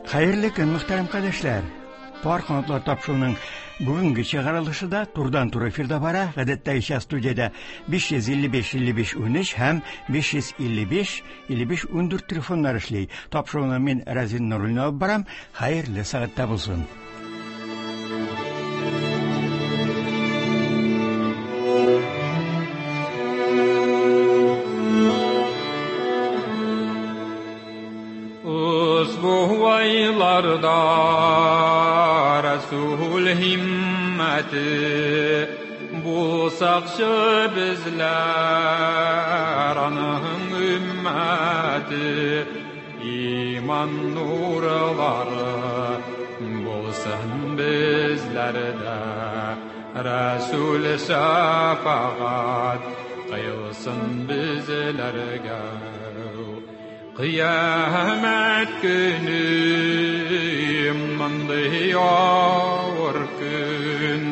Хәерле көн, мөхтәрәм кардәшләр! Пар канатлар тапшыруының бүгенге чыгарылышы да турыдан-туры эфирда бара. Гадәттәгечә студиядә 555 55 13 һәм 555 55 14 телефоннар эшли. Тапшыруны мин Разин Нуруллин алып барам. Хәерле сәгатьтә булсын. Usbuhvaylarda Resul himmeti Bulsakçı bizler anın ümmeti İman nurları bulsun bizlerde Resul şefaat kılsın bizlerge Kıyamet günü mındı ağır gün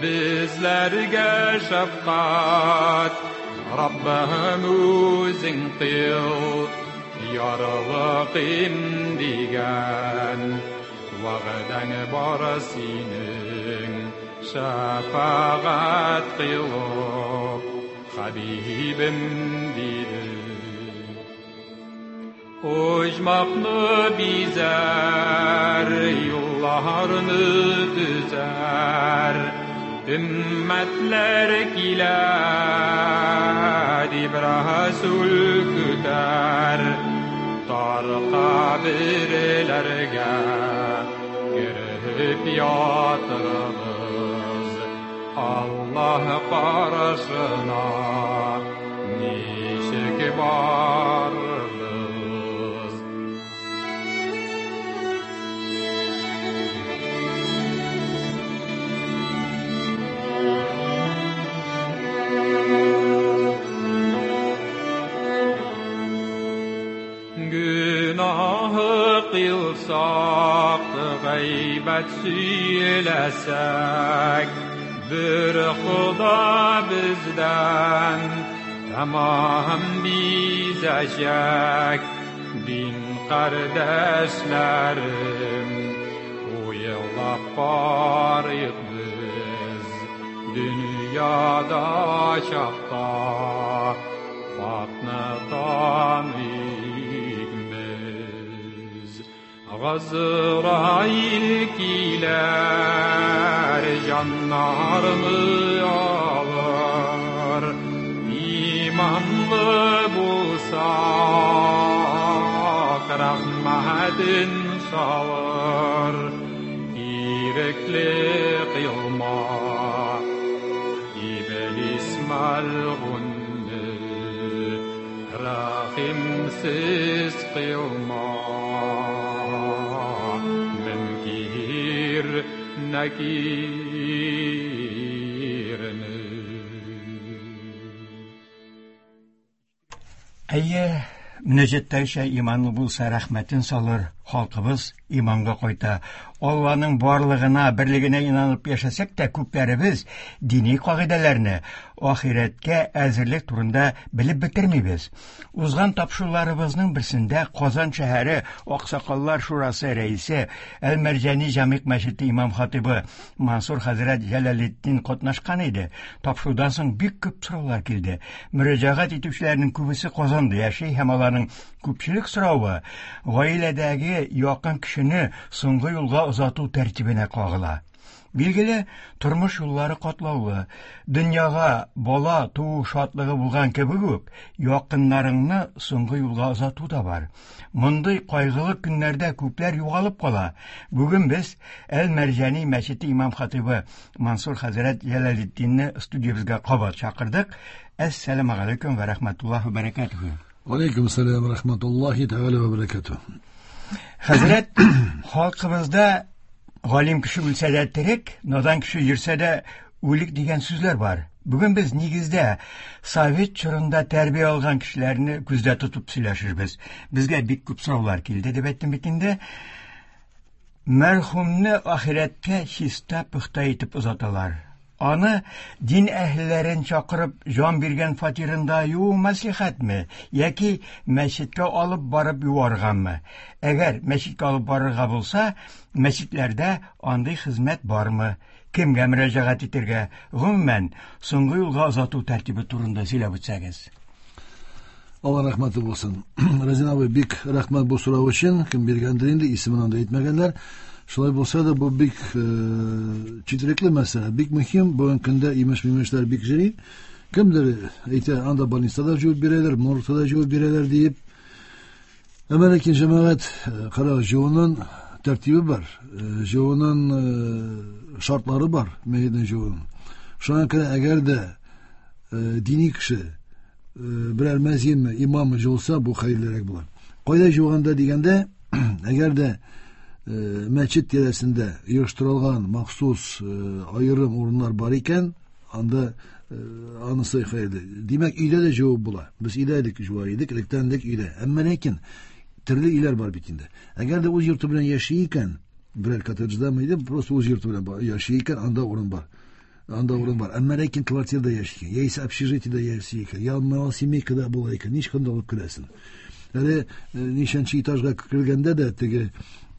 bizlerge şefkat Rabbim özün kıl yarılıqim digen Vağdan bar senin şefaat kılıp Habibim dedi. Ojmaqны bizer, yollarını düzer, Ümmetler kiler, İbrahsul küter, Tar kabirlerge girip yatırız, Allah karşına nişik varırız. Günahı kılsak, gıybet söylesek, bir Xuda bizden tamam bizecek. Din kardeşlerim, uyulap qarıyıq biz, dünyada çaqda Fatnı tanıyıq biz. Azrail kiler canlarını alır, İmanlı bulsak rahmetin salır, İrikli kılma iblis melgunni, Rahimsiz kılma Münkir nekirni. Әйе, мөнәҗәттәгечә иманлы булса рәхмәтен салыр, халкыбыз иманга кайта. Алланың барлыгына, берлегенә инанып яшәсәк тә, күпләребез дини кагыйдәләрне, ахирәткә әзерлек турында белеп бетермибез. Узган тапшыруларыбызның берсендә Казан шәһәре Аксакаллар шурасы рәисе, Әл-Мәрҗани Җамигъ мәчете имам хатибы Мансур хәзрәт Җәләлетдин катнашкан иде. Тапшырудан соң бик күп сораулар килде. Мөрәҗәгать итүчеләрнең күбесе Казанда яши һәм аларның күпчелек соравы гаиләдәге якын кешене соңгы юлга озату тәртибенә кагыла. Билгеле, тормыш юллары катлаулы. Дөньяга бала туу шатлыгы булган кебек үк, якыннарыңны соңгы юлга озату да бар. Мондый кайгылы көннәрдә күпләр югалып кала. Бүген без Әл-Мәрҗани мәчете имам хатибы Мансур хәзрәт Җәләлетдинне студиябезгә кабат чакырдык. Әссәламу алейкум ва рахматуллаһи ва баракатуһу. Алейкум сәлам рахматуллаһи тәгалә ва баракатуһу. Хәзрәт, халкыбызда галим кеше үлсә дә терек, надан кеше йөрсә дә үлек дигән сүзләр бар. Бүген без нигездә совет чорында тәрбия алган кешеләрне күздә тотып сөйләшербез. Безгә бик күп сораулар килде дип әйттем бит инде. Мәрхүмне ахирәткә чиста пөхтә итеп озаталар. Аны дин әһелләрен чакырып җан биргән фатирында юу мәслихәтме яки мәчеткә алып барып юаргамы? Әгәр мәчеткә алып барырга булса, мәчетләрдә андый хезмәт бармы? Кемгә мөрәҗәгать итәргә? Гомумән, соңгы юлга озату тәртибе турында сөйләп үтсәгез. Алла рәхмәте булсын. Разин абый, бик рәхмәт бу сорау өчен. Кем биргәндер инде, исемен анда әйтмәгәннәр. Шулай булса да, бу бик четерекле мәсьәлә, бик мөһим. Бүгенге көндә имеш-мимешләр бик җыри. Кемдер әйтә, анда больницада җуып бирәләр, моргта да җуып бирәләр диеп. Әмма ләкин җәмәгать, кара, җуунын тәртибе бар, җуунын шартлары бар, мәетне җуунын. Шуңа күрә әгәр дә дини кеше берәр мәзинме, имаммы җуылса, бу хәерлерәк була. Кайда җуганда дигәндә, әгәр дә мәчет тирәсендә оештырылган махсус аерым урыннар бар икән, анда анысы хәерле. Димәк, өйдә дә җуып була. Без өйдә идек, җуа идек, электән элек өйдә. Әмма ләкин төрле өйләр бар бит инде. Әгәр дә үз йорты белән яши икән, берәр коттеджда мы идем, просто үз йорты белән яши икән, анда урын бар. Анда урын бар. Әмма ләкин квартирада яши икән, яисә общежитиедә яши икән, я малосемейкада була икән, ничек анда алып керәсең? Әле ничәнче этажга кергәндә дә теге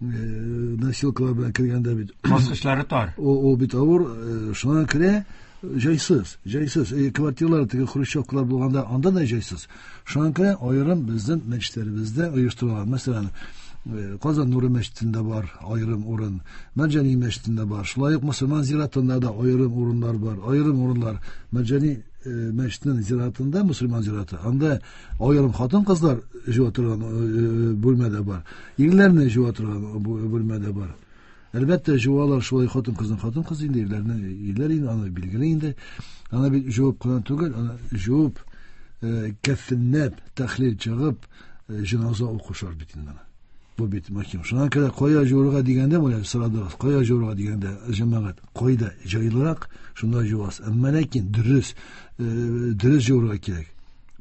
носилкалар белән кергәндә бит баскычлары тар. Ул бит авыр, шуңа күрә җайсыз, җайсыз. Квартиралар теге хрущевкалар булганда анда да җайсыз. Шуңа күрә аерым безнең мәчетләребездә оештырылган. Мәсәлән, Казан Нуры мәчетендә бар аерым урын, Мәрҗани мәчетендә бар. Шулай ук мөселман зиратында да аерым урыннар бар. Аерым урыннар Мәрҗани мәчетенең зиратында, мөселман зираты. Анда аерым хатын-кызлар җуа торган бүлмә дә бар. Ирләрне җуа торган бүлмә дә бар. Әлбәттә, җуалар шулай хатын-кызны хатын-кыз инде, ирләрне ирләр инде, аны билгеле инде. Аны бит җуып кына түгел, аны җуып, кәфенләп, тәхлил чыгып, җеназа укышар бит инде. Бу бит мөһим. Шуңа күрә кая җуырга дигәндә, менә сорадыгыз, кая җуырга дигәндә, җәмәгать, кайда җайлырак, шунда җуасыз. Әмма ләкин дөрес, дөрес җуырга кирәк.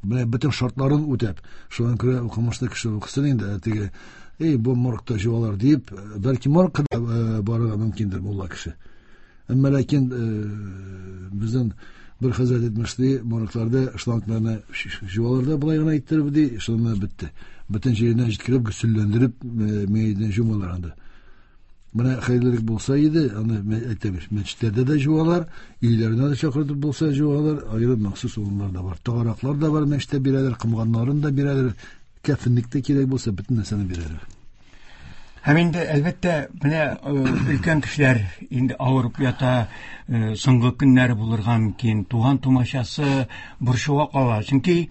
Менә бөтен шартларын үтәп, шуңа күрә укымышлы кеше укысын инде, теге, эй, бу моргта җуалар дип, бәлки моргка да барырга мөмкиндер мулла кеше. Әмма ләкин безнең бер хәзрәт әйтмешли, моргларда шлангларны җуалар да болай гына иттереп ди, шуны бетте. Бөтен җиренә җиткереп, гөселләндереп, мәетне җумалар анда. Менә хәерлерәк булса иде, аны әйтәбез, мәчетләрдә дә җуалар, өйләренә дә чакыртып булса җуалар, аерым махсус урыннар да бар. Тагараклар да бар, мәчеттә бирәләр, комганнарын да бирәләр, кәфенлек тә кирәк булса, бөтен нәрсәне бирәләр. Һәм инде, әлбәттә, менә өлкән кешеләр инде авырып ята, соңгы көннәре булырга мөмкин, туган тумачасы борчуга кала. Чөнки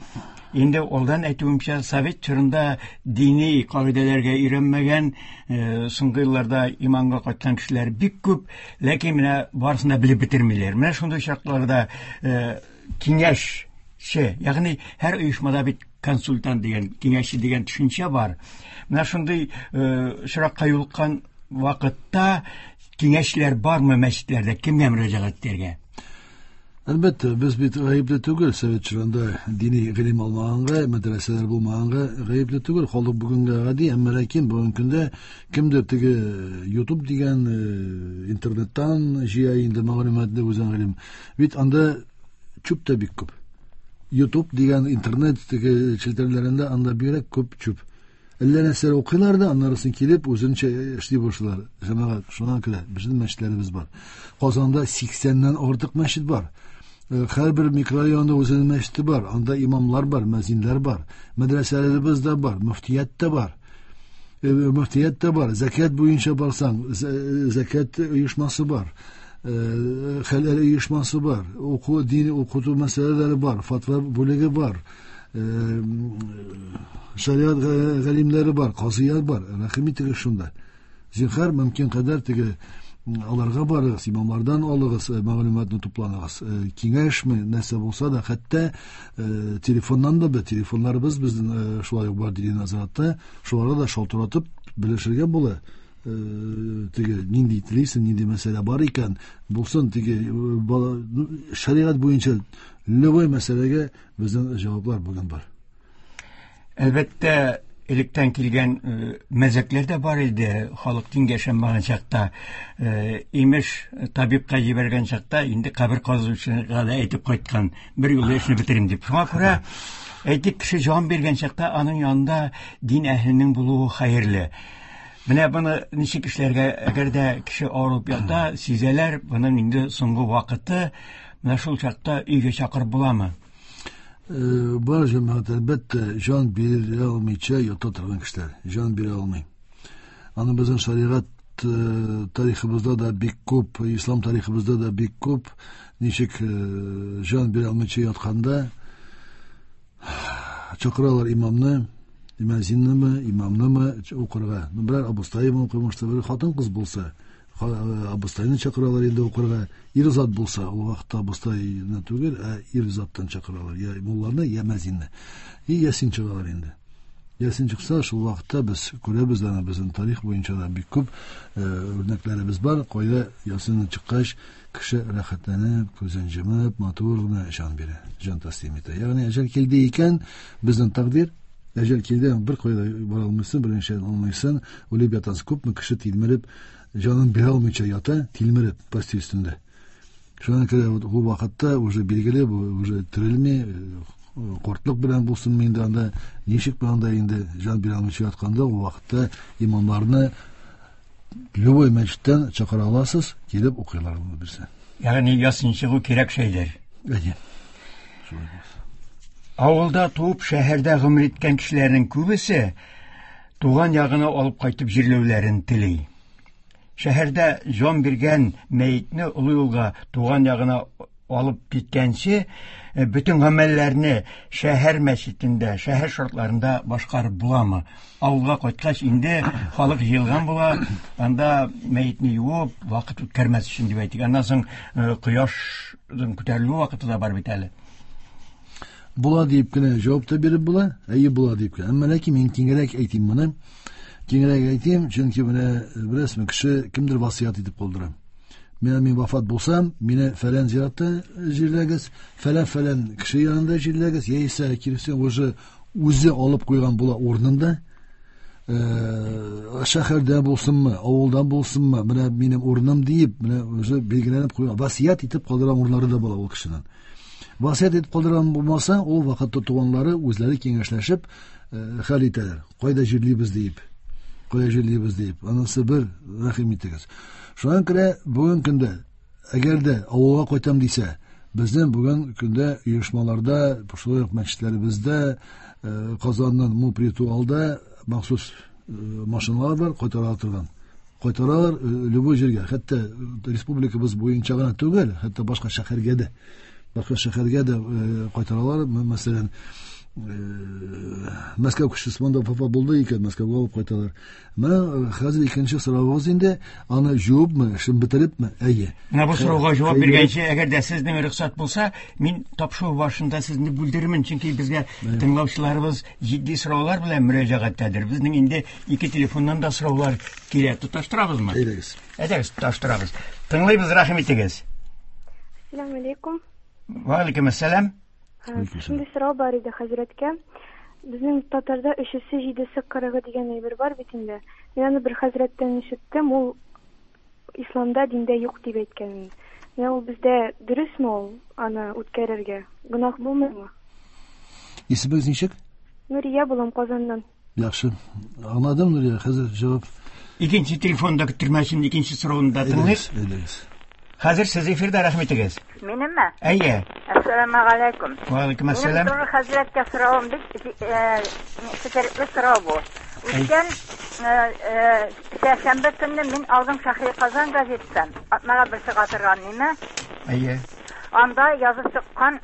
инде алдан әйтүемчә, совет чорында дини кагыйдәләргә өйрәнмәгән, соңгы елларда иманга кайткан кешеләр бик күп, ләкин менә барысын да белеп бетермиләр. Менә шундый чакларда киңәшче, ягъни һәр оешмада бит консультант дигән, киңәшче дигән төшенчә бар. Менә шундый очракка юлыккан вакытта киңәшчеләр бармы мәчетләрдә, кемгә мөрәҗәгать итәргә? Әлбәттә, без бит гаепле түгел, совет чорында дини гыйлем алмаганга, мәдрәсәләр булмаганга гаепле түгел. Халык бүгенгә гади, әмма ләкин бүгенге көндә кемдер теге YouTube дигән интернеттан җыя инде мәгълүматны үзен гыйлем. Бит анда чүп тә бик күп. YouTube дигән интернет теге челтәрләрендә анда бигрәк күп чүп. Әллә нәрсәләр укыйлар да, аннарысын килеп үзенчә эшли башлыйлар. Җәмәгать, шуннан күрә безнең мәчетләребез бар. Казанда 80-нән артык мәчет бар. Һәрбер микрорайонда үзенең мәчете бар. Анда имамлар бар, мәзинләр бар. Мәдрәсәләребез дә бар, мөфтият тә бар. Мөфтият тә бар. Зәкят буенча барсаң, зәкят оешмасы бар. Хәләл оешмасы бар. Уку, дини укыту мәсьәләләре бар, фатва бүлеге бар. Шариат галимнәре бар, казыялар бар. Рәхим итегез шунда. Зинһар, мөмкин кадәр теге аларга барыгыз, имамлардан алыгыз, мәгълүматны тупланыгыз. Киңәшме, нәрсә булса да, хәтта телефоннан да, телефоннарыбыз безнең шулай ук бар дини назаратта, шуларга да шалтыратып белешергә була. Теге нинди телисең, нинди мәсьәлә бар икән, булсын теге шариат буенча любой мәсьәләгә безнең җаваплар бүген бар. Әлбәттә, Электән килгән мәзәкләр дә бар иде, халык дингә ышанмаган чакта. Имеш, табибка җибәргән чакта инде кабер казучыга да әйтеп кайткан, бер юлы эшне бетерим дип. Шуңа күрә, әйтик, кеше җан биргән чакта аның янында дин әһеленең булуы хәерле. Менә моны ничек эшләргә, әгәр дә кеше авырып ята, сизәләр, моның инде соңгы вакыты, менә шул чакта өйгә чакырып буламы? Бар җәмәгать, әлбәттә, җан бирә алмыйча ята торган кешеләр, җан бирә алмый. Аны безнең шәригать тарихыбызда да бик күп, ислам тарихыбызда да бик күп, ничек җан бирә алмыйча ятканда чакыралар имамны, мөәзиннеме, имамнымы укырга. Ну, берәр абыстаймы укымышты, бер хатын-кыз булса, абыстайны чакыралар инде укырга. Ир зат булса, ул вакытта абыстайны түгел, ә ир заттан чакыралар. Я мулланы, я мәзинне. И ясин чыгалар инде. Ясин чыкса, шул вакытта без күрәбез, аны безнең тарих буенча да бик күп үрнәкләребез бар. Кайда ясин чыккач, кеше рәхәтләнеп, күзен җымып, матур гына җан бирә, җан тәслим итә. Ягъни әҗәл килде икән, безнең тәкъдир, әҗәл килде, бер кайда бара алмыйсың, берничә алмыйсың, үлеп ятасың. Күпме кеше тилмереп, җанын бирә алмыйча ята, тилмереп постель өстендә. Шуңа күрә бу вакытта уже билгеле, бу уже терелми, кортлык белән булсынмы инде анда, ничек анда инде җан бирә алмыйча ятканда, ул вакытта имамнарны любой мәчеттән чакыра аласыз, килеп укыйлар моны берсе. Ягъни ясин чыгу кирәк шәйдер. Әйе. Шулай булсын. Авылда туып, шәһәрдә гомер иткән кешеләрнең күбесе туган ягына алып кайтып җирләүләрен тели. Шәһәрдә җан биргән мәетне олы юлга туган ягына алып киткәнче, бөтен гамәлләрне шәһәр мәчетендә, шәһәр шартларында башкарып буламы? Авылга кайткач инде халык җыелган була, анда мәетне юып, вакыт үткәрмәс өчен дип әйтик. Аннан соң кояшның күтәрелү вакыты да бар бит әле. Була дип кенә җавап та биреп була, әйе була дип кенә. Әмма ләкин мин киңрәк әйтим моны. Киңрәк әйтим, чөнки менә беләсезме, кеше кемдер васыять итеп калдыра. Мин вафат булсам, мине фәлән зиратта җирләгез, фәлән-фәлән кеше янында җирләгез, яисә киресенчә уже үзе алып куйган була урынында. Шәһәрдә булсынмы, авылда булсынмы, менә минем урыным диеп, менә уже билгеләнеп куйган, васыять итеп калдырган урыннары да була ул кешенең. Васыять итеп калдырган булмаса, ул вакытта туганнары үзләре киңәшләшеп хәл итәләр. Кайда җирлибез диеп. Кайда җирлибез диеп. Анысы бер, рәхим итегез. Шуңа күрә бүген көндә, әгәр дә авылга кайтам дисә, безнең бүген көндә оешмаларда, шулай ук мәчетләребездә, Казанның Мупритуалда махсус машиналар бар, кайтара торган. Кайтаралар любой җиргә, хәтта республикабыз буенча гына түгел, хәтта башка шәһәргә дә. Башка шәһәргә дә кайтаралар. Мәсәлән, Мәскәү кешесе монда вафат булды икән, Мәскәүгә алып кайталар. Менә хәзер икенче соравыгыз инде, аны җуыпмы, эшен бетерепме? Әйе. Менә бу сорауга җавап биргәнче, әгәр дә сезнең рөхсәт булса, мин тапшыру башында сезне бүлдермен, чөнки безгә тыңлаучыларыбыз җитди сораулар белән мөрәҗәгатьтәдер. Безнең инде ике телефоннан да сораулар килә. Тоташтырабызмы? Әйдәгез. Әйдәгез, тоташтырабыз. Тыңлыйбыз, рәхим итегез. Ассаламу алейкум. Ва алейкум ассалам. Шундый сорау бар иде хәзрәткә. Безнең татарда өчесе, җидесе, кырыгы дигән әйбер бар бит инде. Мин аны бер хәзрәттән ишеттем, ул исламда, диндә юк дип әйткән. Менә ул бездә дөресме ул аны үткәрергә? Гөнаһ булмыймы? Исемегез ничек? Нурия булам Казаннан. Яхшы. Аңладым, Нурия, хәзер җавап. Икенче телефонда көттермәсен, икенче сорауны да тыңлыйк. Әйдәгез. Хәзер сез эфирда, рәхим итегез. Минемме? Әйе. Әссәламу алейкум. Ва алейкум ассалам. Минем туры хәзрәткә соравым бик четерекле сорау бу. Үткән сәршәмбе көнне мин алдым Шәһри Казан газетасын. Атнага бер чыга торган ниме? Әйе. Анда язып чыккан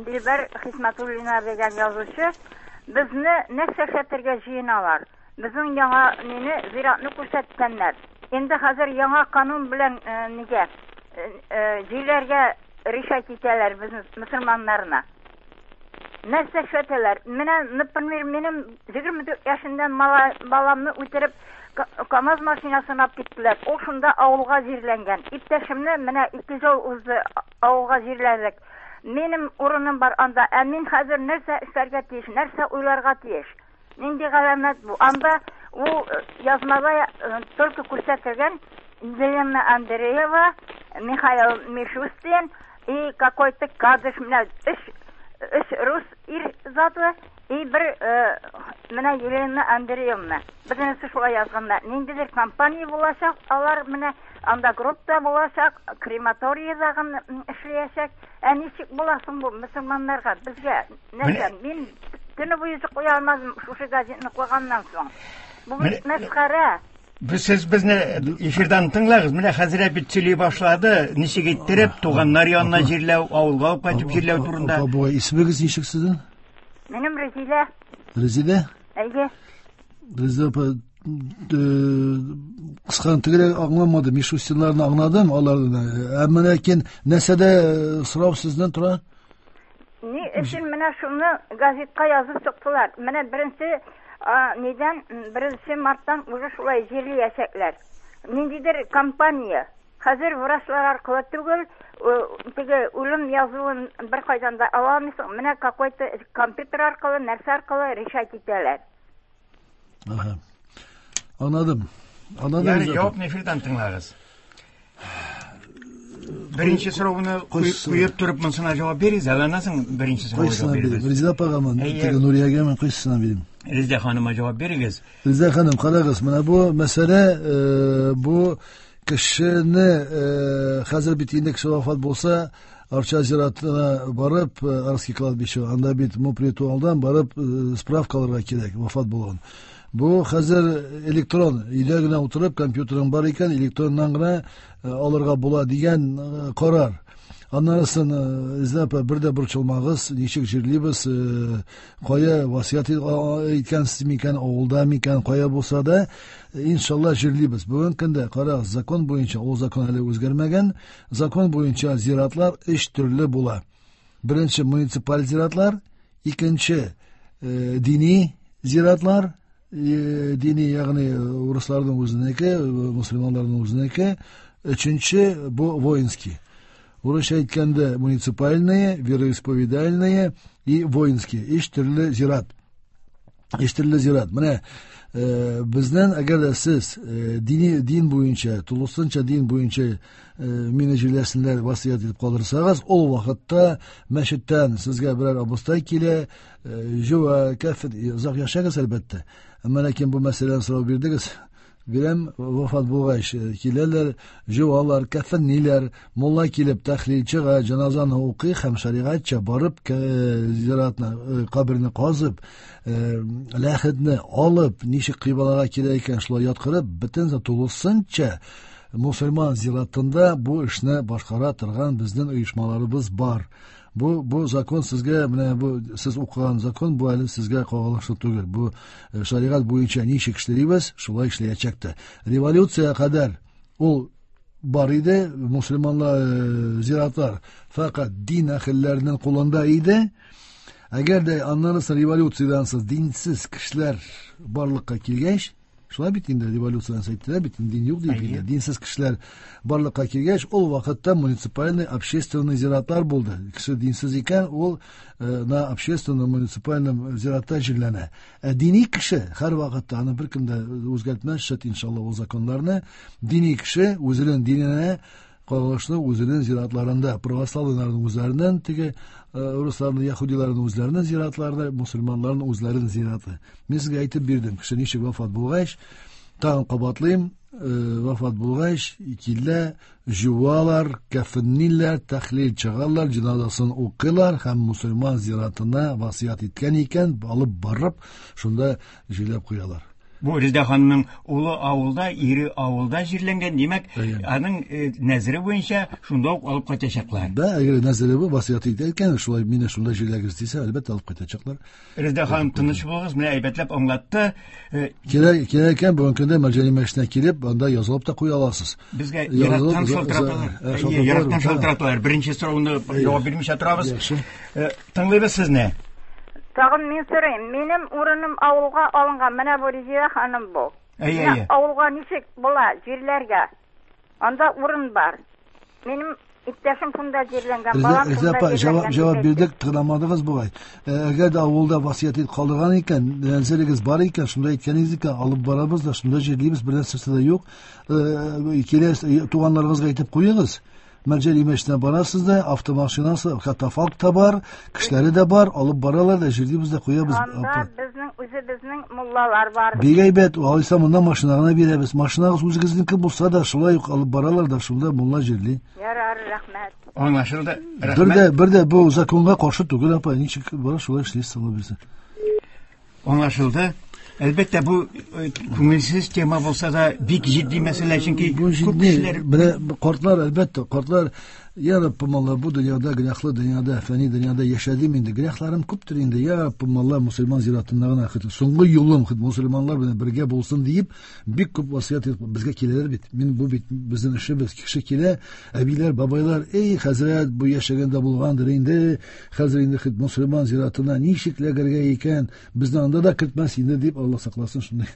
Дилбәр Хисмәтуллина дигән язучы безне нәрсә эшләтергә җыеналар. Безнең яңа мине зиратны күрсәткәннәр. Инде хәзер яңа канун белән нигә җирләргә решать итәләр безне мөселманнарны. Нәрсә эшләтәләр? Менә, например, минем 24 яшендә баламны үтереп КАМАЗ машинасына алып киттеләр. Ул шунда авылга җирләнгән. Иптәшемне менә 2 ел узды авылга җирләдек. Минем урыным бар анда. Ә мин хәзер нәрсә эшләргә тиеш, нәрсә уйларга тиеш? Нинди галәмәт бу? Анда ул язмада только күрсәтелгән Елена Андреева, Михаил Мишустин и какой-то Кадыш, менә өч рус ир заты и бер менә Елена Андреевна. Бөтенесе шулай язганнар. Ниндидер компания булачак, алар менә анда гроб та булачак, крематорийда эшләячәк. Ә ничек була соң бу мөселманнарга, безгә? Нәрсә, мин төне буе йоклый алмадым шушы газетны укыганнан соң. Бу бит мәсхәрә. Сез безне эфирдан тыңлагыз. Менә хәзрәт бит сөйли башлады, ничек иттереп туганнар янына җирләү, авылга алып кайтып җирләү турында. Апа, бу исемегез ничек сезнең? Минем Резилә. Резилә? Әйе. Резилә апа, кыскан тегеләр аңламады, Мишустинларны аңладым, аларны. Әмма ләкин нәрсәдә сорау сездән тора? Ни өчен менә шуны газетка язып чыктылар? Менә беренче нидән, 1 марттан уже шулай җирләячәкләр. Ниндидер компания. Хәзер врачлар аркылы түгел, теге үлем язуын бер кайдан да ала алмыйсың. Менә какой-то компьютер аркылы, нәрсә аркылы решать итәләр. Ага. Аңладым. Аңладым. Ярый, җавапны эфирдан тыңлагыз. Беренче сорауны куеп торып, монысына җавап бирегез, әле аннан соң беренче сорауга җавап бирегез. Резидә апагамы, теге Нуриягәме, кайсысына бирим? Резидә ханыма җавап бирегез. Резидә ханым, карагыз, менә бу мәсьәлә, бу кешене хәзер бит инде кеше вафат булса, Арча зиратына барып, Арский кладбище, анда бит мупритуалдан барып справка алырга кирәк, вафат булган. Бу хәзер электрон, өйдә генә утырып, компьютерың бар икән, электроннан гына алырга була дигән карар. Аннан соң, Резидә апа, бер дә борчылмагыз, ничек җирлибез, кая васыять иткәнсез микән, авылда микән, кая булса да, иншалла җирлибез. Бүгенге көндә, карагыз, закон буенча, ул закон әле үзгәрмәгән, закон буенча зиратлар өч төрле була. Беренче муниципаль зиратлар, икенче дини зиратлар, дини, ягъни урысларның үзенеке, мусульманнарның үзенеке, өченче бу воинский. Урысча әйткәндә муниципальные, вероисповедальные и воинские. Өч төрле зират. Өч төрле зират. Менә безнең, әгәр дә сез дини, дин буенча, тулысынча дин буенча мине җирләсеннәр васыять итеп калдырсагыз, ул вакытта мәчеттән сезгә берәр абыстай килә, җуа, кәфен, озак яшәгез әлбәттә. Әмма ләкин бу мәсьәләне сорау бирдегез. Бирәм, вафат булгач киләләр, җуалар, кәфенниләр, мулла килеп тәхлил чыга, җеназаны укый һәм шәригатьчә барып зиратны, каберне казып, ләхетне алып, ничек кыйблага кирәк икән, шулай яткырып, бөтен тулысынча мусульман зиратында бу эшне башкара торган безнең оешмаларыбыз бар. Бу закон сезгә, менә бу сез укыган закон, бу әле сезгә кагылышлы түгел. Бу шәригать буенча ничек эшлибез, шулай эшләячәк тә. Революция кадәр ул бар иде, мусульманлар зиратлар фәкать дин әһелләренең кулында иде. Әгәр дә аннан соң революциядән соң динсез кешеләр барлыкка килгәч, шулай бит инде революциядән соң әйттеләр бит, дин юк дип инде. Динсез кешеләр барлыкка килгәч, ул вакытта муниципальный общественный зиратлар булды. Кеше динсез икән, ул на общественном муниципальном зиратта җирләнә. Ә дини кеше һәр вакытта, аны беркем дә үзгәртмәс, шәт иншалла ул законнарны, дини кеше үзенең диненә кагылышлы үзенең зиратларында, православныйларның үзләреннән, теге русларның, яһудиларның үзләренең зиратларында, мусульманнарның үзләренең зираты. Мин сезгә әйтеп бирдем, кеше ничек вафат булгач, тагын кабатлыйм, вафат булгач, килә, жуалар, кәфенниләр, тәхлил чыгалар, җеназасын укыйлар һәм мусульман зиратына васыять иткән икән, алып барып, шунда җирләп куялар. Бу Резидә ханымның улы авылда, ире авылда җирләнгән, димәк, аның нәзере буенча шунда ук алып кайтачаклар. Да, әгәр нәзере бу васыять итә икән, шулай мине шунда җирләгез дисә, әлбәттә алып кайтачаклар. Резидә ханым, тыныч булыгыз, менә әйбәтләп аңлатты. Кирәк икән, бүгенге көндә Мәрҗани мәчетенә килеп, анда язылып та куя аласыз. Безгә ерактан шалтыраталар. Ерактан шалтыраталар. Беренче сорауны җавап бирмичә торабыз. Тыңлыйбыз сезне. Тагын мин сорыйм, минем урыным авылга алынган, менә бу Резидә ханым бу. Әйе, әйе. Авылга ничек була, җирләргә? Анда урын бар. Минем Иптәшем шунда җирләнгән, балам Реза шунда апа, җирләнгән. җавап, җавап Дип әйтте. бирдек, тыңламадыгыз бугай. Әгәр дә авылда васыять итеп калдырган икән, нәзерегез бар икән, шунда әйткәнегез икән, алып барабыз да, шунда җирлибез, бер нәрсәсе дә юк. Киләсез, туганнарыгызга әйтеп куегыз. Мәрҗани мәчетенә барасыз да, автомашинасы, катафалк та бар, кешеләре дә бар, алып баралар да, җирлибез дә куябыз. Анда Апа. безнең үзебезнең муллалар бар. Бик әйбәт, алайса монда машина гына бирәбез. Машинагыз үзегезнеке булса да, шулай ук алып баралар да, шунда мулла җирли. Ярар, рәхмәт. Аңлашылды. Бер дә, Рәхмәт. бер дә бу законга каршы түгел, апа, ничек бара шулай эшлисез, Алла бирсен. Аңлашылды. Әлбәттә, бу күңелсез тема булса да бик җитди мәсьәлә, чөнки Бу күп җитди. кешеләр Менә картлар, әлбәттә, картлар, я Раббым Алла, бу дөньяда, гөнаһлы дөньяда, фәни дөньяда яшәдем инде. Гөнаһларым күптер инде. Я Раббым Алла, мусульман зиратында гына хит, соңгы юлым хит мусульманнар белән бергә булсын диеп, бик күп васыять итеп безгә киләләр бит. Мин бу бит безнең эшебез. Кеше килә, әбиләр, бабайлар, эй, хәзрәт, бу яшәгәндә булгандыр инде. Хәзер инде хит мусульман зиратына ничек эләгергә икән? Безне анда да кертмәс инде дип, Алла сакласын, шундый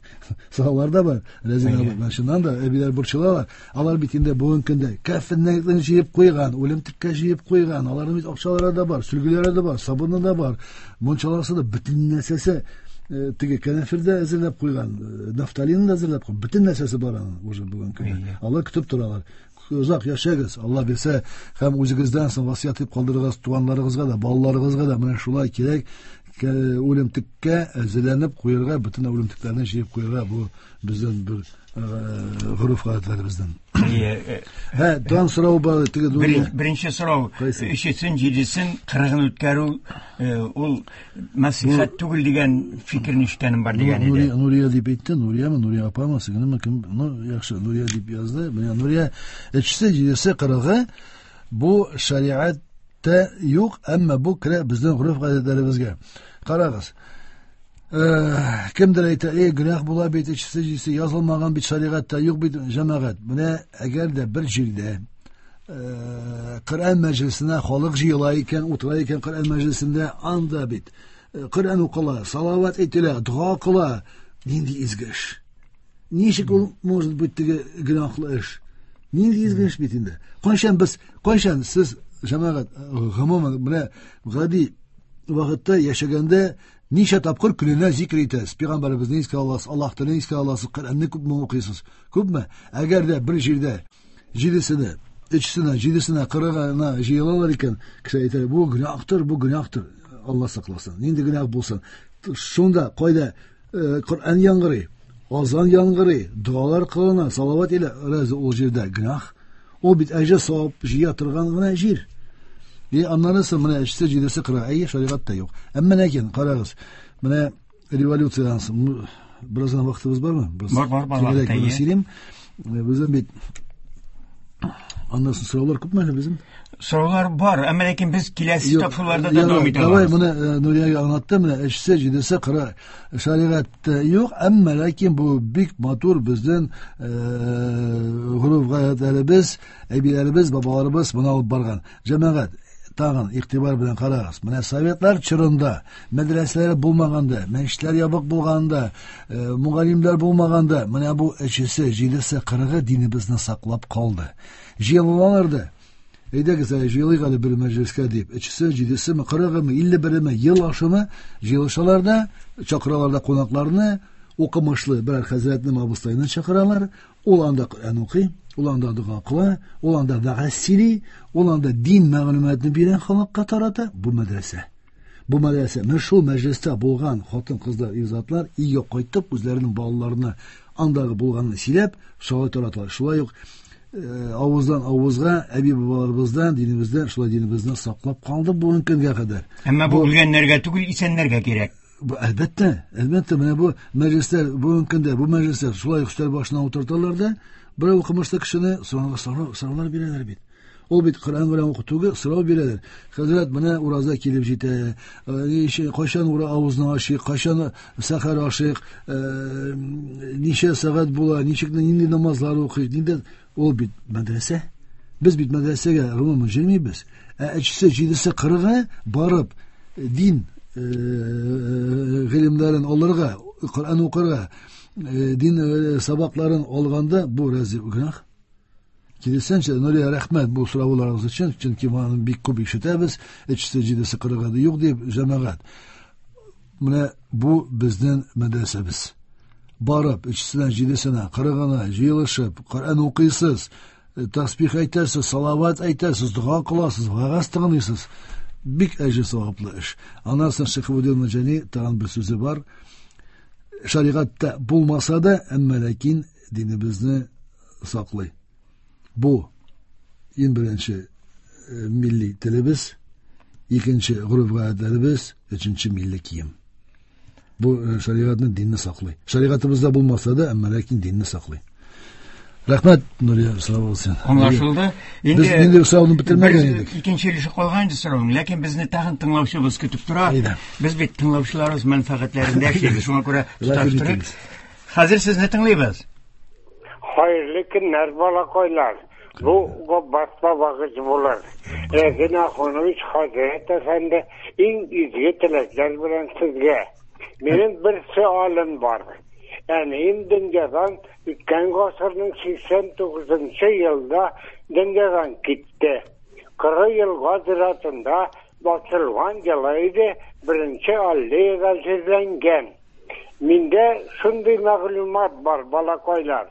сораулар да бар. Рәзин абый, менә чыннан да әбиләр борчылалар. Алар бит инде бүгенге көндә кәфеннәрен җыеп куйган, үлемтеккә җыеп куйган. Аларның бит акчалары да бар, сөлгеләре дә бар, сабыны да бар, мунчаласы да, бөтен нәрсәсе, теге кәнәфер дә әзерләп куйган, нафталин да әзерләп куйган, бөтен нәрсәсе бар аның уже бүгенге көндә. Алар көтеп торалар. Озак яшәгез, Алла бирсә, һәм үзегездән соң васыять итеп калдырыгыз туганнарыгызга да, балаларыгызга да менә шулай кирәк. Үлемтеккә әзерләнеп куярга, бөтен үлемтекләрне җыеп куярга, бу безнең бер гореф-гадәтләребездән. Әйе, Һә, тагын сорау бар, теге Нурия. Беренче сорау, Кайсы? өчесен, җидесен, кырыгын үткәрү, ул мәслихәт түгел дигән фикерне ишеткәнем бар дигән иде. Нурия, Нурия дип әйтте, Нуриямы, Нурия апамы, сеңлеме, кем, ну, яхшы, Нурия дип язды. Менә Нурия, өчесе, җидесе, кырыгы, бу шәриғәттә юк, әмма бу керә безнең гореф-гадәтләребезгә. Карагыз. Кемдер әйтә, эй, гөнаһ була бит, өчесе, җидесе язылмаган бит, шәригатьтә юк бит, җәмәгать. Менә әгәр дә бер җирдә Коръән мәҗлесенә халык җыела икән, утыра икән Коръән мәҗлесендә, анда бит Коръән укыла, салават әйтелә, дога кыла. Нинди изге эш? Ничек ул может быть теге гөнаһлы эш? Нинди изге эш бит инде? Кайчан без, кайчан сез җәмәгать, гомумән менә гади вакытта яшәгәндә ничә тапкыр көненә зикр итәсез? Пәйгамбәребезне искә аласыз, Аллаһ телен искә аласыз, Коръәнне күпме укыйсыз? Күпме? Әгәр дә бер җирдә җидесенә, өчесенә, җидесенә, кырыгына җыелалар икән, кеше әйтә, бу гөнаһтыр, бу гөнаһтыр. Алла сакласын. Нинди гөнаһ булсын? Шунда кайда Коръән яңгырый, азан яңгырый, догалар кылына, салават илә, разве ул җирдә гөнаһ? Ул бит әҗер савап җыя торган гына җир. И аннан соң менә өчесе, җидесе, кырыгы. Әйе, шәригатьтә юк. Әмма ләкин карагыз, менә революциядән соң бераз гына вакытыбыз бармы? Бераз Бар, бар, бар, тирәнрәк вакыт, әйе. сөйлим. Безнең бит аннан соң сораулар күпме әле безнең? Сораулар бар, әмма ләкин без киләсе Юк, тапшыруларда да ярар, дәвам итә Давай алабыз. моны Нуриягә аңлаттым, менә өчесе, җидесе, кырыгы. Шәригатьтә юк, әмма ләкин бу бик матур безнең гореф-гадәтләребез, әбиләребез, бабаларыбыз моны алып барган. Җәмәгать, тагын игътибар белән карагыз. Менә советлар чорында мәдрәсәләр булмаганда, мәчетләр ябык булганда, мөгаллимнәр булмаганда, менә бу өчесе, җидесе, кырыгы динебезне саклап калды. Җыелалар да. Әйдәгез, әле җыелыйк әле бер мәҗлескә дип. Өчесе, җидесеме, кырыгымы, илле береме, ел ашымы җыелышалар да, чакыралар да кунакларны, укымышлы берәр хәзрәтне, абыстайны чакыралар. Ул анда Коръән укый, ул анда дога кыла, ул анда вәгазь сөйли, ул анда дин мәгълүматын бирә, халыкка тарата. Бу мәдрәсә. Бу мәдрәсә. Менә шул мәҗлестә булган хатын-кызлар, ир-затлар өйгә кайтып, үзләренең балаларына андагы булганны сөйләп, шулай тараталар. Шулай ук авыздан авызга әби бабаларыбыздан, динебездән, шулай динебезне саклап калды бүгенге көнгә кадәр. Әмма бу үлгәннәргә түгел, исәннәргә кирәк. Бу, әлбәттә, әлбәттә, менә бу мәҗлесләр бүгенге көндә, бу мәҗлесләр шулай ук өстәл башына утырталар да, берәү укымышлы кешене сораулар бирәләр бит. Ул бит Коръән белән уку түгел, сорау бирәләр. Хәзрәт, менә ураза килеп җитә. Кайчан ура авызны ачыйк, кайчан сәхәр ашыйк, ничә сәгать була, ничек нинди намазлар укыйк, нинди ул бит мәдрәсә. Без бит мәдрәсәгә гомумән йөрмибез. Ә өчесе, җидесе, кырыгы барып дин гыйлемнәрен алырга, Коръән укырга, дин сабакларын алганда бу разве гөнаһ? Киресенчә, Нурия, рәхмәт бу сорауларыгыз өчен, чөнки моны бик күп ишетәбез. Өчесе, җидесе, кырыгы да юк дип, җәмәгать. Менә бу безнең мәдрәсәбез. Барып, өчесенә, җидесенә, кырыгына җыелышып, Коръән укыйсыз, тасбих әйтәсез, салават әйтәсез, дога кыласыз, вәгазь тыңлыйсыз. Бик әҗер саваплы эш. Аннан соң Шихабуддин Маҗани тагын бер сүзе бар. Шәригатьтә булмаса да, әмма ләкин динебезне саклый. Бу иң беренче милли телебез, икенче гореф-гадәтләребез, өченче милли кием. Бу шәригатьне, динне саклый. Шәригатебездә булмаса да, әмма ләкин динне саклый. Рәхмәт, Нурия, сау булсын. Аңлашылды. Инде без инде сорауны бетермәгән идек. Икенче өлеше калган инде сорауның, ләкин безне тагын тыңлаучыбыз көтеп тора. Без бит тыңлаучыларыбыз мәнфәгатьләрендә эшлибез, шуңа күрә тоташтырып. Хәзер сезне тыңлыйбыз. Хәерле көннәр, балакайлар. Бу Габбас бабагыз булыр. Рәзин Ахунович хәзрәт әфәнде, иң изге теләкләр белән сезгә. Минем бер сөалем бар. Әнием дөньядан үткән гасырның 89 елда дөньядан китте. Кыры елга зиратында басылган елы иде, беренче аллеяда җирләнгән. Миндә шундый мәгълүмат бар, балакайлар.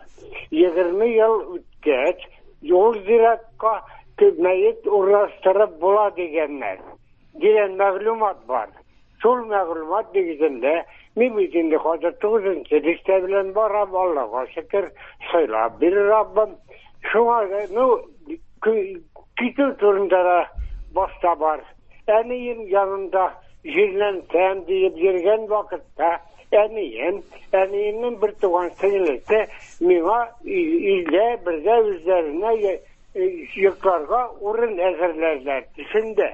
20 ел үткәч, юл зиратка мәет урнаштырып була дигәннәр. Дигән мәгълүмат бар. Шул мәгълүмат нигезендә мин бит инде хәзер 9-нчы дистә белән барам, Аллага шөкер, сыйлап бирер Раббым. Шуңа, ну, китү турында да башта бар. Әнием янында җирләнсәм диеп йөргән вакытта әнием, әниемнең бер туган сеңлесе миңа илдә бергә үзләренә йокларга урын әзерләрләр төшендә.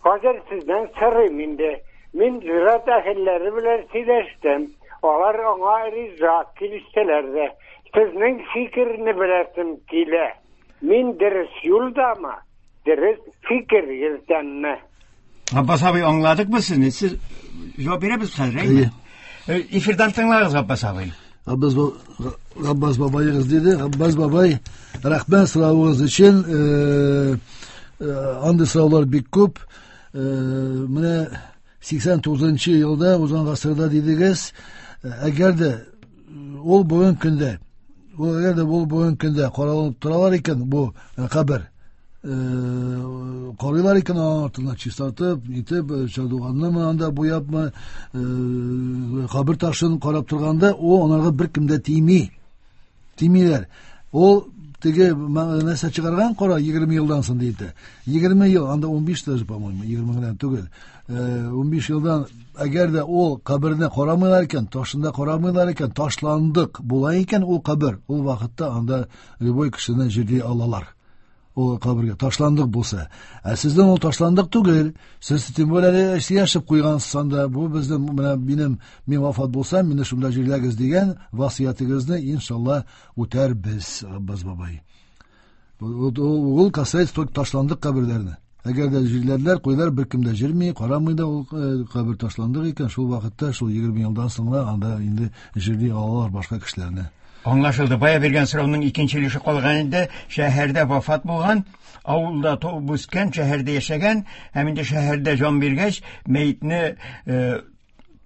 Хәзер сездән сорыйм инде. Мин зират әһелләре белән сөйләштем. Алар аңа риза, килештеләр дә. Сезнең фикерне беләсем килә. Мин дөрес юлдамы? Дөрес фикер йөртәмме? Габбас абый, аңладыкмы сезне? Сез җавап бирәбез хәзер, әйме? Эфирдан тыңлагыз, Габбас абый. Габбас, Габбас бабаегыз диде. Габбас бабай, рәхмәт соравыгыз өчен. Андый сораулар бик күп. Менә 89 елда узган гасырда дидегез. Әгәр дә ул бүген көндә, ул әгәр дә ул бүген көндә каралып торалар икән, бу кабер карыйлар икән, аның артыннан чистартып, итеп, чардуганнымы анда буяпмы, кабер ташын карап торганда, ул анарга беркем дә тими. Тимиләр. Ул теге нәрсә чыгарган кара 20 елдан соң диде. 20 ел, анда 15 даже, по-моему, 20 генә түгел. 15 елдан әгәр дә ул каберне карамыйлар икән, ташында карамыйлар икән, ташландык була икән ул кабер, ул вакытта анда любой кешене җирли алалар. Ул кабергә ташландык булса. Ә сезнең ул ташландык түгел. Сез тем более әле яшәп куйгансыз анда. Бу безнең менә минем мин вафат булсам, мине шунда җирләгез дигән васыятыгызны иншалла үтәрбез, Габбас бабай. Ул касается только ташландык каберләрне. Әгәр дә җирләрләр, куйлар беркем дә җирми, карамый да ул кабер ташландык икән, шул вакытта, шул 20 елдан соң гына анда инде җирли алалар башка кешеләрне. Аңлашылды. Бая биргән сорауның икенче өлеше калган инде. Шәһәрдә вафат булган, авылда туып үскән, шәһәрдә яшәгән һәм инде шәһәрдә җан биргәч, мәетне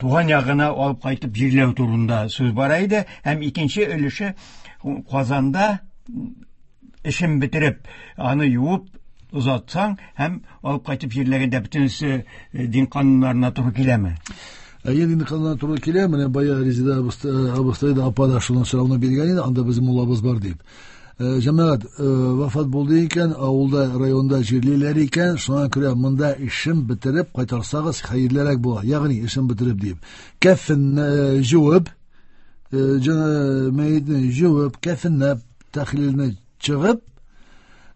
туган ягына алып кайтып җирләү турында сүз бара иде. Һәм икенче өлеше Казанда эшен бетереп, аны юып озатсаң һәм алып кайтып җирләгәндә бөтенесе дин кануннарына туры киләме? Әйе, дин кануннарына туры килә. Менә бая Резеда абыстай да апа да шуның сорауны биргән иде, анда безнең муллабыз бар дип. Җәмәгать, вафат булды икән, авылда, районда җирлиләр икән, шуңа күрә монда эшен бетереп кайтарсагыз хәерлерәк була. Ягъни эшен бетереп дип. Кәфен җуып, мәетне җуып, кәфенләп, тәхлилне чыгып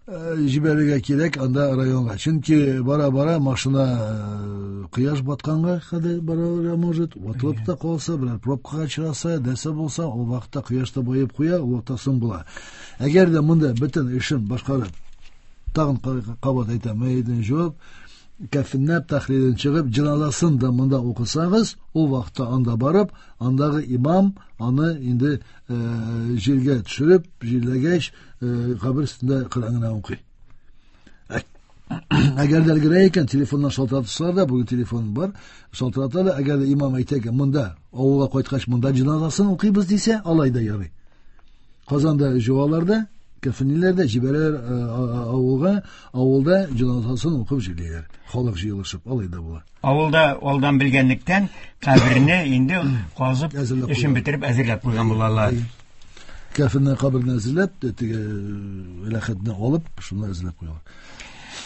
җибәрергә кирәк анда районга. Чөнки бара-бара машина кояш батканга кадәр барырга может, ватылып та калса, берәр пробкага очраса, нәрсә булса, ул вакытта кояш та баеп куя, ул вакытта соң була. Әгәр дә монда бөтен эшен башкарып, тагын кабат әйтәм, мәетне җуып, кәфенләп тәхлилен чыгып, җеназасын да монда укысагыз, ул вакытта анда барып, андагы имам аны инде җиргә төшереп, җирләгәч, кабер өстендә Коръән генә укый. Әгәр дә өлгерә икән, телефоннан шалтыратсалар да, бүген телефон бар, шалтыраталар, әгәр дә имам әйтә икән, монда, авылга кайткач, монда җеназасын укыйбыз дисә, алай да ярый. Казанда җуалар да, кәфенлиләр дә җибәрәләр авылга, авылда җеназасын укып җирлиләр. Халык җыелышып, алай да була. Авылда алдан белгәнлектән каберне инде казып, эшен бетереп әзерләп куйган булалар. Кәфенне каберне әзерләп, теге ләхетне алып, шуны әзерләп куялар.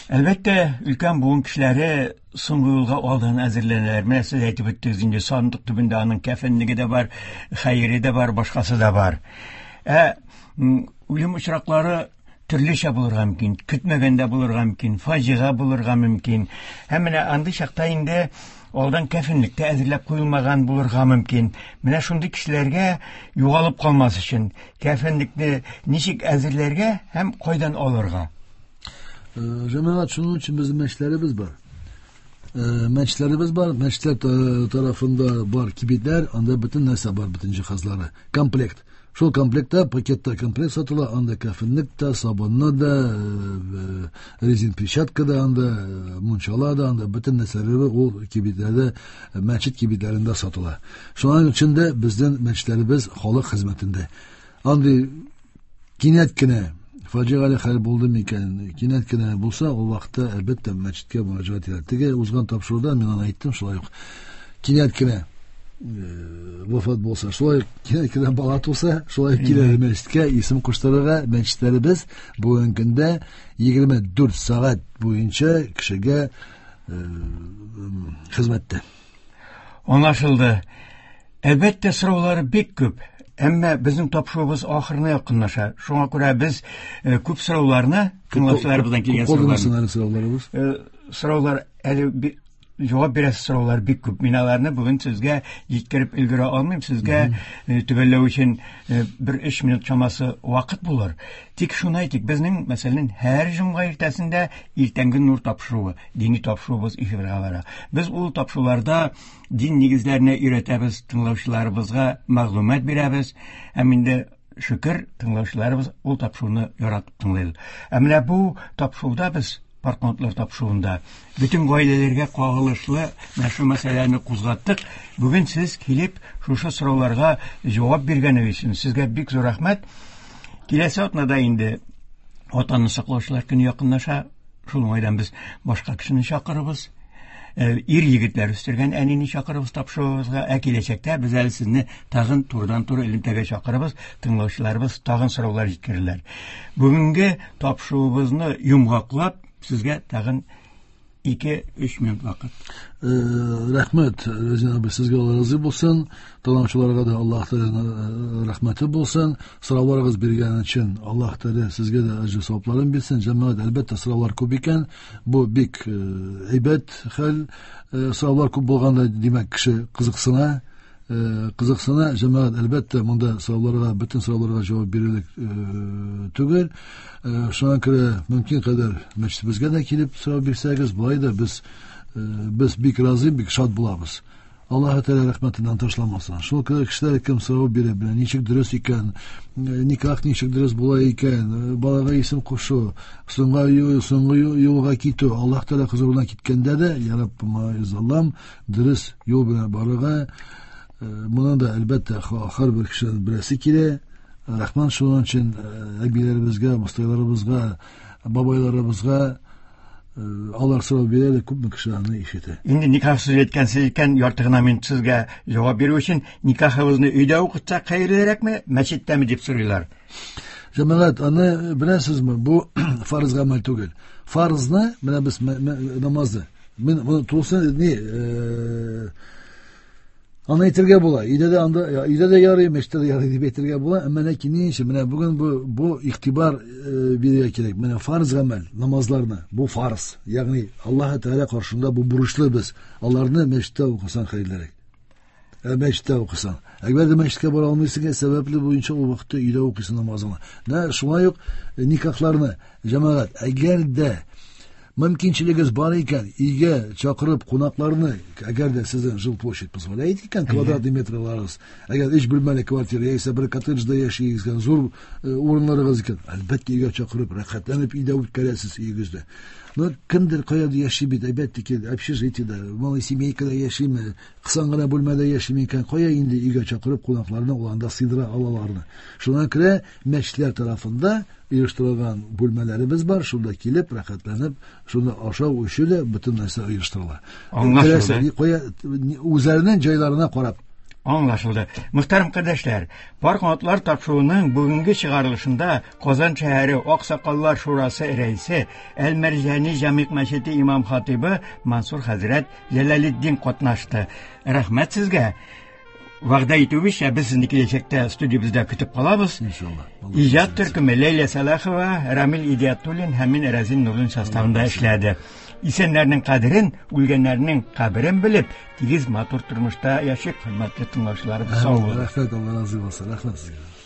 Әлбәттә, өлкән буын кешеләре соңгы юлга алдан әзерләнәләр. Менә сез әйтеп үттегез инде, сандык төбендә аның кәфенлеге дә бар, хәере дә бар, башкасы да бар. Ә үлем очраклары төрлечә булырга мөмкин, көтмәгәндә булырга мөмкин, фаҗига булырга мөмкин. Һәм менә андый чакта инде алдан кәфенлек тә әзерләп куелмаган булырга мөмкин. Менә шундый кешеләргә югалып калмас өчен кәфенлекне ничек әзерләргә һәм кайдан алырга? Җәмәгать, шуның өчен безнең мәчетләребез бар. Мәчетләребез бар, мәчетләр тарафында бар кибетләр, анда бөтен нәрсә бар, бөтен җиһазлары, комплект. Шул комплектта, пакетта комплект сатыла, анда кәфенлек тә, сабынны да, резин перчатка да анда, мунчала да анда, бөтен нәрсәләре ул кибетләрдә, мәчет кибетләрендә сатыла. Шуның өчен дә безнең мәчетләребез халык хезмәтендә. Андый кинәт кенә фаҗигале хәл булды микән, кинәт кенә булса, ул вакытта әлбәттә мәчеткә мөрәҗәгать итәләр. Теге узган тапшыруда мин аны әйттем, шулай ук кинәт кенә вафат булса, шулай кинәт кенә бала туса, шулай килә мәчеткә исем куштырырга. Мәчетләребез бүгенге көндә 24 сәгать буенча кешегә хезмәттә. Аңлашылды. Әлбәттә, сораулар бик күп. Әмма безнең тапшыруыбыз ахырына якынлаша. Шуңа күрә без күп сорауларны, тыңлаучыларыбыздан килгән сорауларны, сораулар әле җавап бирәсе сораулар бик күп. Мин аларны бүген сезгә җиткереп өлгерә алмыйм. Сезгә төгәлләү өчен бер 3 минут чамасы вакыт булыр. Тик шуны әйтик, безнең, мәсәлән, һәр җомга иртәсендә иртәнге нур тапшыруы, дини тапшыруыбыз эфирга бара. Без ул тапшыруларда дин нигезләренә өйрәтәбез, тыңлаучыларыбызга мәгълүмат бирәбез. Һәм инде шөкер, тыңлаучыларыбыз ул тапшыруны яратып тыңлый. Ә менә бу тапшыруда без партнерлар тапшыруында бөтен гаиләләргә кагылышлы менә шу мәсьәләне кузгаттык. Бүген сез килеп шушы сорауларга җавап биргәнегез өчен сезгә бик зур рәхмәт. Киләсе атнада инде Ватанны саклаучылар көне якынлаша. Шул уңайдан без башка кешене чакырабыз. Ир егетләр үстергән әнине чакырабыз тапшыруыбызга. Ә киләчәктә без әле сезне тагын турыдан-туры элемтәгә чакырабыз. Тыңлаучыларыбыз тагын сораулар җиткерерләр. Бүгенге тапшыруыбызны йомгаклап сезгә тагын 2-3 минут вакыт. Рәхмәт, Рәзин абый, сезгә Алла разый булсын. Тыңлаучыларга да Аллаһ Тәгаләнең рәхмәте булсын. Сорауларыгыз биргән өчен Аллаһ Тәгалә сезгә дә әҗер савапларын бирсен. Җәмәгать, әлбәттә, сораулар күп икән. Бу бик әйбәт хәл. Сораулар күп булганда, димәк, кеше кызыксына. Кызыксына. Җәмәгать, әлбәттә, монда сорауларга, бөтен сорауларга җавап бирерлек түгел. Шуңа күрә мөмкин кадәр мәчетебезгә дә килеп сорау бирсәгез, болай да без бик разый, бик шат булабыз. Аллаһ Тәгалә рәхмәтеннән ташламасын. Шул кешеләр кем сорау бирә, белә, ничек дөрес икән, никах ничек дөрес була икән, балага исем кушу, соңгы юлга китү, Аллаһ Тәгалә хозурына киткәндә дә, я Раббым, Аллаһым, дөрес юл белән барырга, моны да әлбәттә һәрбер кешенең беләсе килә. Рәхмәт шуның өчен әбиләребезгә, абыстайларыбызга, бабайларыбызга, алар сорау бирә, күпме кеше аны ишетә. Инде никах сүзе әйткәнсез икән, ярты гына минут сезгә җавап бирү өчен, никахыбызны өйдә укытсак хәерлерәкме, мәчеттәме дип сорыйлар. Җәмәгать, аны беләсезме, бу фарыз гамәл түгел. Фарызны, менә без намазны, мин моны тулсын, не, аны әйтергә була. Өйдә дә анда, я, өйдә дә ярый, мәчеттә дә ярый дип әйтергә була. Әмма ләкин ни өчен? Менә бүген бу игътибар бирергә кирәк. Менә фарыз гамәл, намазларны, бу фарыз. Ягъни Аллаһ Тәгалә каршында бу бурычлы без. Аларны мәчеттә укысаң хәерлерәк. Мәчеттә укысаң. Әгәр дә мәчеткә бара алмыйсың, сәбәпле буенча ул вакытта өйдә укыйсың намазыңны. Менә шулай ук никахларны, җәмәгать, әгәр дә Мөмкинчелегегез бар икән, өйгә чакырып кунакларны, әгәр дә сезнең жилплощадь позволяет икән, квадратный метрларыгыз, әгәр өч бүлмәле квартира яисә бер коттеджда яшисез икән, зур урыннарыгыз икән, әлбәттә өйгә чакырып, рәхәтләнеп өйдә үткәрәсез өегездә. Но кемдер каядыр яши бит, әлбәттә ки, общежитиедә, малосемейкада яшиме, кысан гына бүлмәдә яшиме икән, кая инде өйгә чакырып кунакларны ул анда сыйдыра алаларны. Шуңа күрә мәчетләр тарафында оештырылган бүлмәләребез бар, шунда килеп, рәхәтләнеп, шунда ашау, эчү дә бөтен нәрсә оештырыла. Аңлашылды. Кая үзләренең җайларына карап. Аңлашылды. Мөхтәрәм кардәшләр, Пар канатлар тапшыруының бүгенге чыгарылышында Казан шәһәре Аксакаллар шурасы рәисе, Әл-Мәрҗани җәмигъ мәчете имам хатибы Мансур хәзрәт Җәләлетдин катнашты. Рәхмәт сезгә. Вәгъдә итүебезчә, без сезне киләчәктә студиябездә көтеп калабыз. Иншалла. Иҗат төркеме Ләйлә Сәлахова, Рамил Идиятуллин һәм мин Рәзин Нурлин составында эшләде. Исәннәрнең кадерен, үлгәннәрнең каберен белеп, тигез матур тормышта яшик, хөрмәтле тыңлаучыларыбыз, сау булыгыз. Рәхмәт, Алла разый булсын. Рәхмәт сезгә.